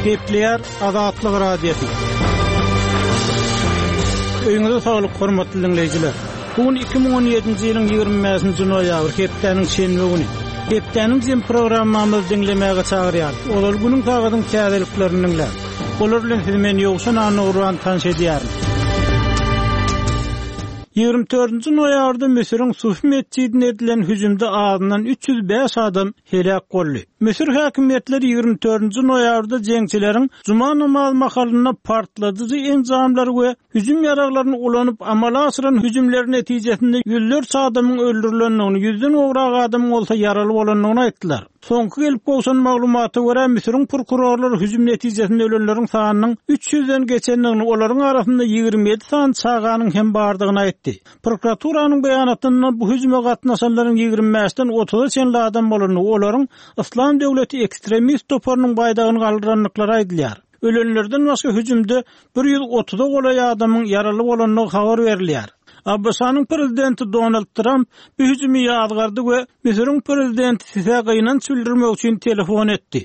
Gepleýär Azatlyk Radiosy. Öýüňize saglyk, hormatly diňleýjiler. Bu gün 2017-nji ýylyň 25-nji noýabry, hepdäniň şenbe güni. Hepdäniň jem programmamyzy diňlemäge çagyrýarys. Ozal günüň sagadyň täzeliklerini diňläň. Olar bilen sizi men Ýowşan Annagurban tanyş edýärin. 24-nji noýabrda Müsüriň Sufi metjidine edilen hüjümde azyndan 305 adam heläk boldy. Müsür häkimiýetleri 24-nji noýabrda jeňçileriň juma namazy mahalynda partladyjy enjamlary we hüjüm ýaraglaryny ulanyp amala aşyran hüjümleri netijesinde ýüzlerçe adamyň öldürilendigini, ýüzden gowrak adamyň bolsa ýaraly bolandygyny aýtdylar. Soňky gelip gowşan maglumata görä, Müsüriň prokurorlary hüjüm netijesinde ölenleriň sanynyň üç ýüzden geçendigini, olaryň arasynda 27 sany çaganyň hem bardygyny aýtdy. Prokuraturanyň beýanatynda bu hüjüme gatnaşanlaryň ýigrimi bäşden otuza çenli adam bolandygy, olaryň Yslam döwleti ekstremist toparynyň baýdagyny galdyrandyklary aýdylýar. Ölenlerden başga hüjümde bir 130-a golaý adamyň ýaraly bolandygy habar berilýär. ABŞ-nyň prezidenti Donald Tramp bu hüjümi ýazgardy we Müsüriň prezidenti Sisä gynanç bildirmek üçin telefon etdi.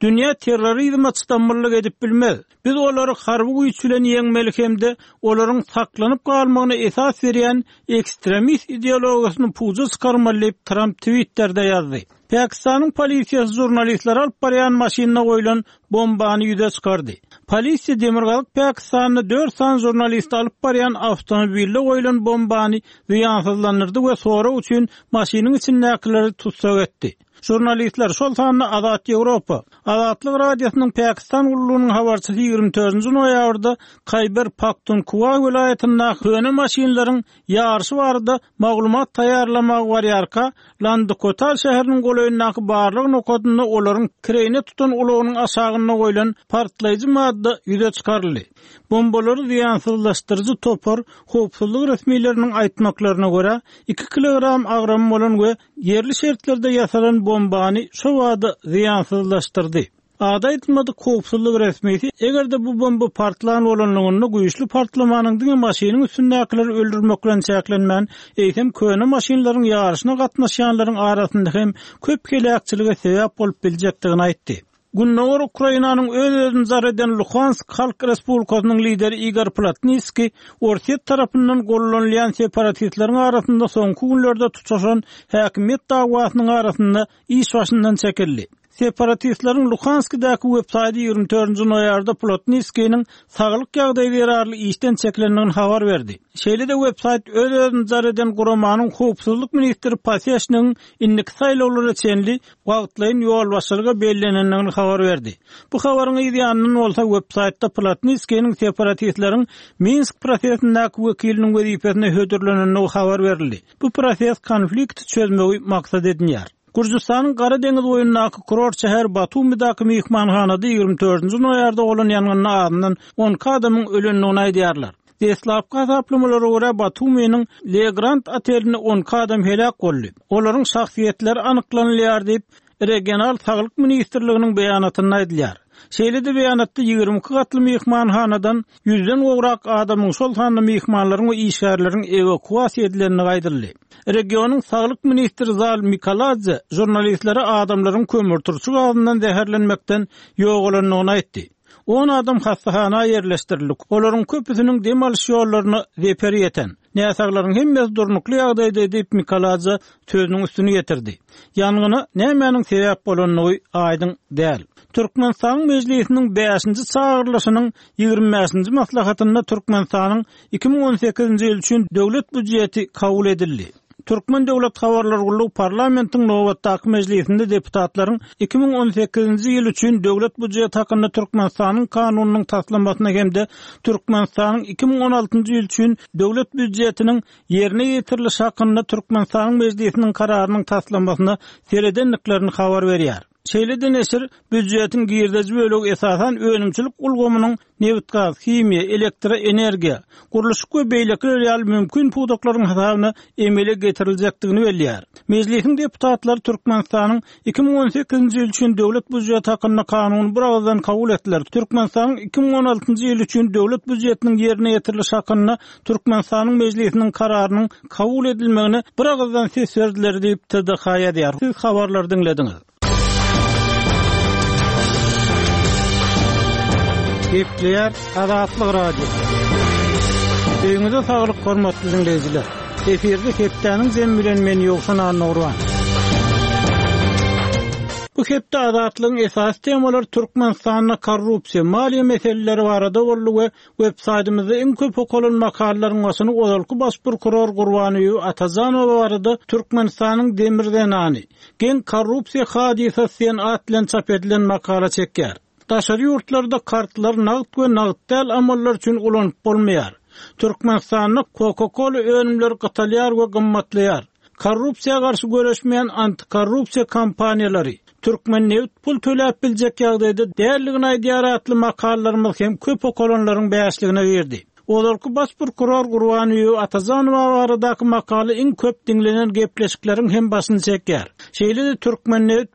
Dünýä terrorizme çydamlylyk edip bilmez. Biz olary harby güýç bilen ýeňmeli hem-de olaryň saklanyp galmagyna esas berýän ekstremist ideologiýasyny puja çykarmaly diýip, Tramp Twitterde ýazdy. Pakistanyň polisiýasy žurnalistleri alyp barýan maşynda goýlan bombany ýüze çykardy. Polisiýa demirgazyk Pakistanda dört sany žurnalisti alyp barýan awtomobilde goýlan bombany zyýansyzlandyrdy we sorag üçin maşynyň içindäkileri tussag etdi. Žurnalistler, şol sanda Azat Ýewropa, Azatlyk Radiosynyň Pakistan gullugynyň habarçysy 24 noýabrda Kaýber Paktunkwa welaýatyndaky köne maşynlaryň ýaryşy barada maglumat taýýarlamaga barýarka, Landikotal şäheriniň golaýyndaky barlag nokadynda olaryň kireýine tutan ulagynyň aşagynda goýlan partlaýjy madda ýüze çykaryldy. Bombalary zyýansyzlaşdyryjy topar, howpsuzlyk resmileriniň aýtmaklaryna görä, iki kilogram agramy bolan we ýerli şertlerde ýasalan bombany şobada zyýansyzlaşdyrdy. Ady aýdylmadyk howpsuzlyk resmisi, eger-de bu bomba partlan bolanlygynda güýçli partlamanyň diňe maşynyň üstündäkileri öldürmek bilen çäklenmän, eýsem köne maşynlaryň ýaryşyna gatnaşýanlaryň arasynda hem köp heläkçilige sebäp bolup biljekdigini aýtdy. Gündogar Ukrainanyň öz-özüni jar eden Luhansk Halk Respublikasynyň lideri Igor Plotniskiý Orsýet tarapyndan gollanylýan separatistleriň arasynda soňky günlerde tutaşan häkimiýet dawasynyň arasynda iş başyndan çekildi. Separatistleriň Luhanskidäki websaýty 24-nji noýabrda Plotniskiniň saglyk ýagdaýy zerarly işden çekilendigini habar berdi. Şeýle-de websaýt öz-özüni jar eden guramanyň howpsuzlyk ministri Paseşnigiň indiki saýlawlara çenli wagtlaýyn ýolbaşçylyga bellenendigini habar berdi. Bu habaryň yz ýanyndan bolsa websaýtda Plotniskiniň separatistleriň Minsk prosesindäki wekiliniň wezipesine hödürlenendigi habar berildi. Bu proses konflikti çözmegi maksat edinýär. Gürjüstanyň Gara deňiz boýundaky kurort şäher Batumidaky myhmanhanada 24-nji noýabrda bolan ýangynda azyndan 12 adamyň ölendigini aýdýarlar. Deslapky hasaplamalara görä, Batuminiň Le Grand otelinde 12 adam heläk boldy. Olaryň şahsyýetleri anyklanylýar diýip, regional saglyk ministrliginiň beýanatynda aýdylýar. Şeýle-de beýanatda 22 gatly myhmanhanadan ýüzden gowrak adamyň, şol sanda myhmanlaryň we işgärleriň ewakuasiýa edilendigi aýdyldy. Regionyň saglyk ministri Zal Mikaladze žurnalistlere adamlaryň kömürturşy gazyndan zäherlenmekden ýogalandygyny aýtdy. On adam hassahana ýerleşdirildi, olaryň köpüsiniň dem alyş ýollaryna zeper ýeten. Näsaglaryň hemmesi durnukly ýagdaýda diýip, Mikaladze sözüniň üstüni ýetirdi. Ýangyna nämäniň sebäp bolandygy aýdyň däl. Türkmenistanyň Mejlisiniň bäşinji çagyrylyşynyň 25-nji maslahatynda Türkmenistanyň 2018-nji ýyl üçin Döwlet býujeti kabul edildi. Türkmen döwlet habarlar gullugy parlamentiň nobatdaky mejlisinde deputatlaryň 2018-nji ýyl üçin Döwlet býujeti hakynda Türkmenistanyň Kanunynyň taslamasyna hem-de Türkmenistanyň 2016-njy ýyl üçin Döwlet býujetiniň ýerine ýetirilişi hakynda Türkmenistanyň Mejlisiniň Kararynyň taslamasyna seredendiklerini habar berýär. Şeýle-de neşir býujetiň girdeji bölegi esasan önümçilik ulgamynyň nebitgaz, himiýa, elektroenergiýa, gurluşyk we beýlekiler ýaly mümkin pudaklaryň hasabyna emele getiriljekdigini belleýär. Mejlisiň deputatlary Türkmenistanyň 2018-nji ýyl üçin Döwlet býujeti hakynda Kanuny biragyzdan kabul etdiler. Türkmenistanyň 2016-njy ýyl üçin Döwlet býujetiniň ýerine ýetirilişi hakynda Türkmenistanyň Mejlisiniň Kararynyň kabul edilmegine biragyzdan ses berdiler diýip, TDH ýazýar. Siz habarlary diňlediňiz. Gepleýär Azatlyk Radiosy. Öýüňize saglyk hormatly diňleýjiler. Efirde hepdäniň jemi bilen men Ýowşan Annagurban. Bu hepde Azatlygyň esasy temalary Türkmenistanda korrupsiýa, maliýe meseleleri barada boldy we web saýtymyzda iň köp okalan makalalaryň başyny ozalky baş prokuror Gurbanbibi Atajanowa barada Türkmenistanyň demir zenany, geň korrupsiýa hadysasy diýen at bilen çap edilen makala çekýär. Daşary ýurtlarda kartlary nagt we nagt däl amallar üçin ulanyp bolmaýar. Türkmenistanda Coca-Cola önümleri gytalýar we gymmatlaýar. Korrupsiýa garşy göreşmeýän antikorrupsiýa kampaniýalary, Türkmennebit pul töläp biljek ýagdaýda däldigini aýdýar atly makalalarymyz hem köp okalanlaryň bäşligine girdi. Ozalky baş prokuror Gurbanbibi Atajanowa baradaky makala iň köp diňlenen gepleşikleriň hem başyny çekýär. Şeýle-de Türkmennebit.